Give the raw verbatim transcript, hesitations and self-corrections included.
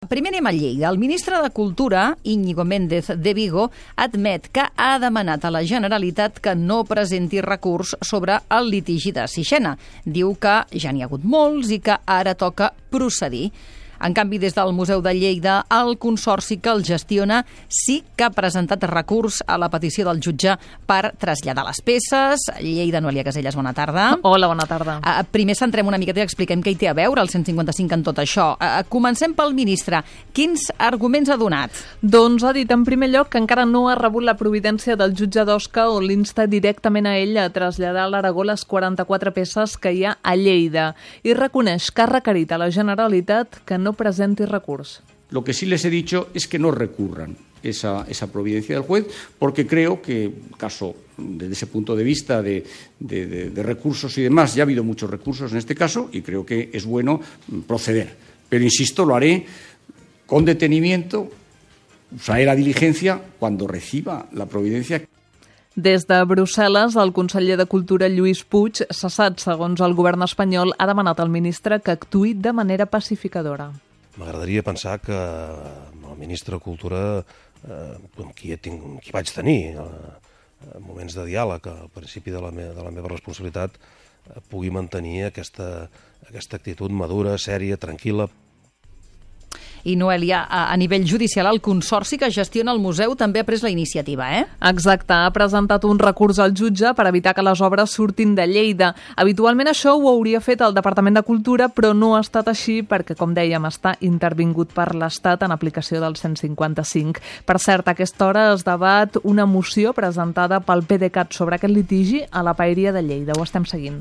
Primer anem a Lleida. El ministre de Cultura, Íñigo Méndez de Vigo, admet que ha demanat a la Generalitat que no presenti recurs sobre el litigi de Sixena. Diu que ja n'hi ha hagut molts i que ara toca procedir. En canvi, des del Museu de Lleida, el consorci que el gestiona sí que ha presentat recurs a la petició del jutge per traslladar les peces. Lleida, Noelia Casellas, bona tarda. Hola, bona tarda. Uh, primer centrem una miqueta i expliquem què hi té a veure el cent cinquanta-cinc en tot això. Uh, comencem pel ministre. Quins arguments ha donat? Doncs ha dit en primer lloc que encara no ha rebut la providència del jutge d'Osca on l'insta directament a ell a traslladar a l'Aragó les quaranta-quatre peces que hi ha a Lleida i reconeix que ha requerit a la Generalitat que no presenti recurs. Lo que sí les he dicho es que no recurran esa, esa providencia del juez, porque creo que, caso, desde ese punto de vista de, de, de, de recursos y demás, ya ha habido muchos recursos en este caso y creo que es bueno proceder. Pero, insisto, lo haré con detenimiento, usaré la diligencia cuando reciba la providencia. Des de Brussel·les, el conseller de Cultura, Lluís Puig, cessat segons el govern espanyol, ha demanat al ministre que actuï de manera pacificadora. M'agradaria pensar que el ministre de Cultura, eh, amb qui, he tinc, qui vaig tenir eh, moments de diàleg al principi de la, me, de la meva responsabilitat, eh, pugui mantenir aquesta, aquesta actitud madura, sèria, tranquil·la. I Noelia, a, a nivell judicial, el consorci que gestiona el museu també ha pres la iniciativa, eh? Exacte, ha presentat un recurs al jutge per evitar que les obres surtin de Lleida. Habitualment això ho hauria fet el Departament de Cultura, però no ha estat així perquè, com dèiem, està intervingut per l'Estat en aplicació del cent cinquanta-cinc. Per cert, a aquesta hora es debat una moció presentada pel PDeCAT sobre aquest litigi a la Paeria de Lleida. Ho estem seguint.